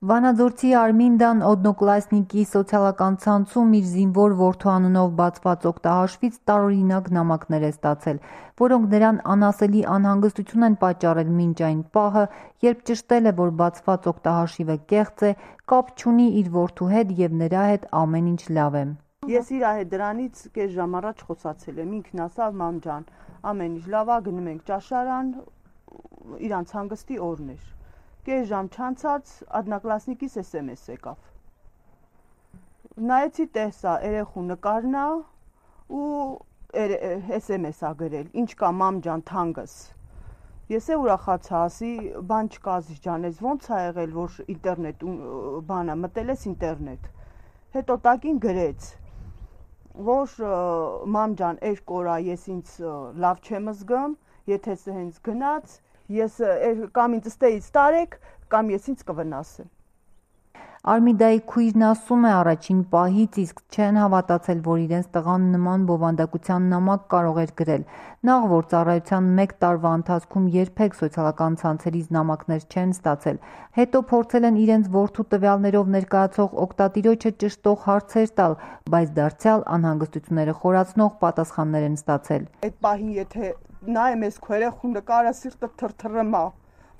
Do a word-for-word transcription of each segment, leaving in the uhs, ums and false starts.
Վանաձորցի Արմինդան օդնոկլասնիկի սոցիալական ցանցում իր զինվոր որդու անունով բացված օգտահաշվից տարօրինակ նամակներ է ստացել, որոնք նրան անասելի անհանգստություն են պատճառել մինչ այն պահը, երբ ճշտել է, որ բացված օգտահաշիվը կեղծ է, կապ չունի իր որդու հետ և նրա հետ ամեն ինչ լավ է։ Ես իր հետ դրանից կես ժամ առաջ խոսացել եմ, ինքն ասավ մամ ջան, ամեն ինչ լավ է, գնում ենք ճաշարան, իրանց հանգստի օրն էր։ Կես ժամ չանցած одноклассникիս էս էմ էս եկավ։ Նայեցի տեսա երեխու նկարն է ու էս էմ էս ա գրել, ինչ կա մամ ջան թանկս։ Ես է ուրախացա, ասի բան չկա Ազիզ ջան, ես ոնց ա եղել, որ ինտերնետ բանը մտել ես ինտերնետ։ Հետո տակին գրեց, որ մամ ջան երկու օր ես ինձ լավ չեմ զգում, եթե հենց գնաց, ես կամ ինձ ստեից տարեք, կամ ես ինձ կվնասեմ։ Արմիդայի քույրն ասում է առաջին պահից իսկ չեն հավատացել, որ իրենց տղան նման բովանդակության նամակ կարող էր գրել, նախ որ ծառայության մեկ տարվա ընթացքում երբեք սոցիալական ցանցերից նամակներ չեն ստացել, հետո փորձել են իրենց որդու տվյալներով ներկայացող օգտատիրոջը ճշտող հարցեր տալ, բայց դարձյալ անհանգստությունները խորացնող պատասխաններ են ստացել։ Այդ պահին եթե նայեմ ես քո երեխու նկարը սիրտը թրթռում է,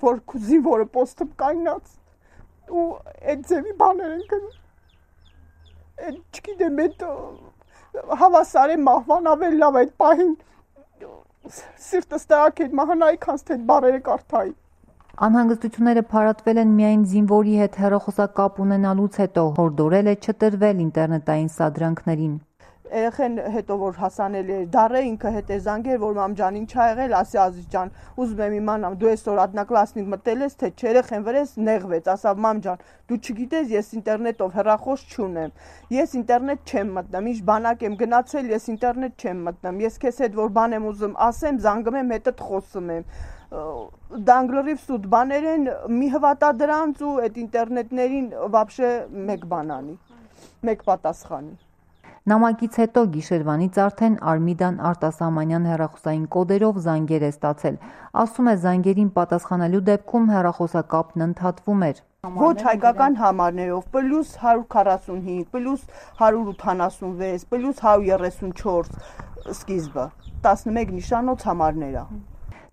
որ քո զինվորը պոստում կայնած ու այդ ձևի բաներ են գնում, այդ չգիտեմ, այդ հավասար է մահվան ավել լավ այդ պահին, սիրտս տրակ էր մահանայի քանց թե այդ բարերը կարդայի։ Անհանգստությունները փարատվել են միայն զինվորի հետ հեռախոսակապ ունենալուց հետո, հորդորել է չտրվել ինտերնետային սադրանքներին։ Երեխեն հետո որ հասանել էր դառը ինքը հետ է զանգել, որ մամ ջան ինչ ա եղել, ասի Ազիզ ջան, ուզում եմ իմանամ դու այսօր одноклассник մտել ես, թե չէ, երեխեն վրես նեղվեց, ասավ մամ ջան, դու չգիտես, ես ինտերնետով հեռախոս չունեմ, ես ինտերնետ չեմ մտնում, ինչ բանակ եմ գնացել, ես ինտերնետ չեմ մտնում, ես քեզ հետ որ բան եմ ուզում ասեմ, զանգում եմ, հետդ խոսում եմ, դանգլրիվ սուտ բաներ են, մի հվատա դրանց ու այդ ինտերնետներին վաբշե մեկ բան անի, մեկ պատասխանի։ Նամակից հետո գիշերվանից արդեն Արմիդան արտասահմանյան հեռախոսային կոդերով զանգեր է ստացել, ասում է զանգերին պատասխանելու դեպքում հեռախոսակապն ընդհատվում էր։ Ոչ հայկական համարներով, պլյուս հարյուր քառասունհինգ, պլյուս հարյուր ութանասունվեց, պլյուս հարյուր երեսունչորս սկիզբը, տասնմեկ նիշանոց համարներ է։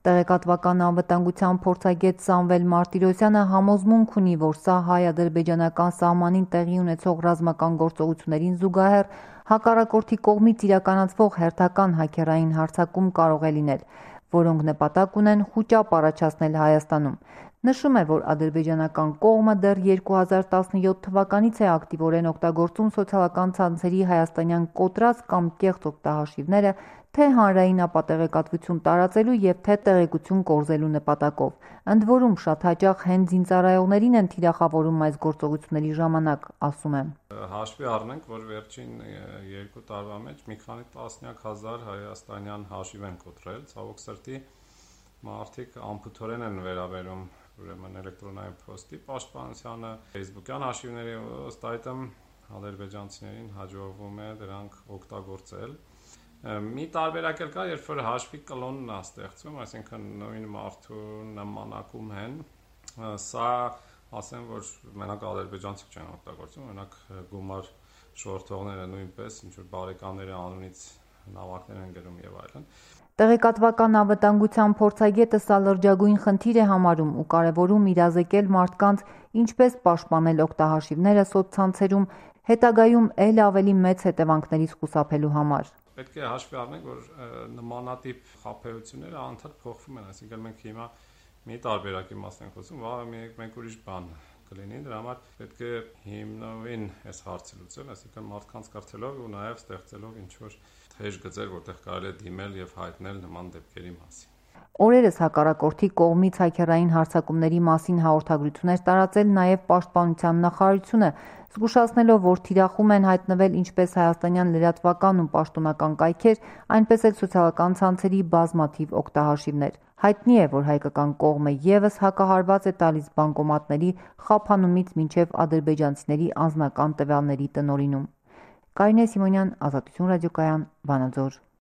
Տեղեկատվական անվտանգության փորձագետ Սամվել Մարտիրոսյանը համոզմունք ունի, որ սա հայ-ադրբեջանական սահմանին տեղի ունեցող ռազմական գործողություններին զուգահեռ հակառակորդի կողմից իրականացվող հերթական հաքերային հարձակում կարող է լինել, որոնք նպատակ ունեն խուճապ առաջացնել Հայաստանում։ Նշում է, որ ադրբեջանական կողմը դեռ երկու հազար տասնյոթ թվականից է ակտիվորեն օգտագործում սոցիալական ցանցերի հայաստանյան կոտրած կամ կեղծ օգտահաշիվները թե հանրային ապատեղեկատվություն տարածելու և թե տեղեկություն կորզելու նպատակով։ Ընդ որում շատ հաճախ հենց զինծառայողներին են թիրախավորում այս գործողությունների ժամանակ, ասում է։ Հաշվի առնենք, որ վերջին երկու տարվա մեջ մի քանի տասնյակ հազար հայաստանյան հաշիվ են կոտրել, ցավոք սրտի մարդիկ անփութորեն են վերաբերում ուրեմն էլեկտրոնային փոստի պաշտպանությանը, Facebook-յան հաշիվների, ըստ այդմ ադրբեջանցիներին հաջողվում է դրանք օգտագործել։ Մի տարբերակ էլ կա, երբ որ հաշվի կլոնն է ստեղծվում, այսինքն նույն մարդու նմանակում են, սա ասեմ, որ մենակ ադրբեջանցիք չեն օգտագործում, մենակ գումար շորթողները նույնպես, ինչ որ բարեկամների անունից նամակներ են գրում եւ այլն։ Տեղեկատվական անվտանգության փորձագետը սա լրջագույն խնդիր է համարում ու կարևորում իրազեկել մարդկանց ինչպես պաշտպանել օգտահաշիվները սոցցանցերում, հետագայում ել ավելի մեծ հետևանքներից խուսափելու համար։ Պետք է հաշվի առնենք, որ նմանատիպ խաբեությունները անդադ փոխվում են, այսինքն մենք հիմա մի տարբերակի մասն ենք խոսում, վաղը մենք ուրիշ բան կլինի, դրա համար պետք է հիմնովին այս հարցը լուծել, այսինքն մարդկանց կրթելով ու նաև ստեղծելով ինչ-որ թեժ գծեր, որտեղ կարելի է դիմել եւ հայտնել նման դեպքերի մասին։ Օրերս հակառակորդի կողմից հաքերային հարձակումների մասին հաղորդագրություններ տարածել նաև Պաշտպանության նախարարությունը, զգուշացնելով, որ թիրախում են հայտնվել ինչպես հայաստանյան լրատվական ու պաշտոնական կայքեր, այնպես էլ սոցիալական ցանցերի բազմաթիվ օգտահաշիվներ։ Հայտնի է, որ հայկական կողմը ևս հակահարված է տալիս բանկոմատների խափանումից մինչև ադրբեջանցիների անձնական տվյալների տնօրինում։ Կարինե Սիմոնյան, Ազատություն ռադիոկայան, Վանաձոր։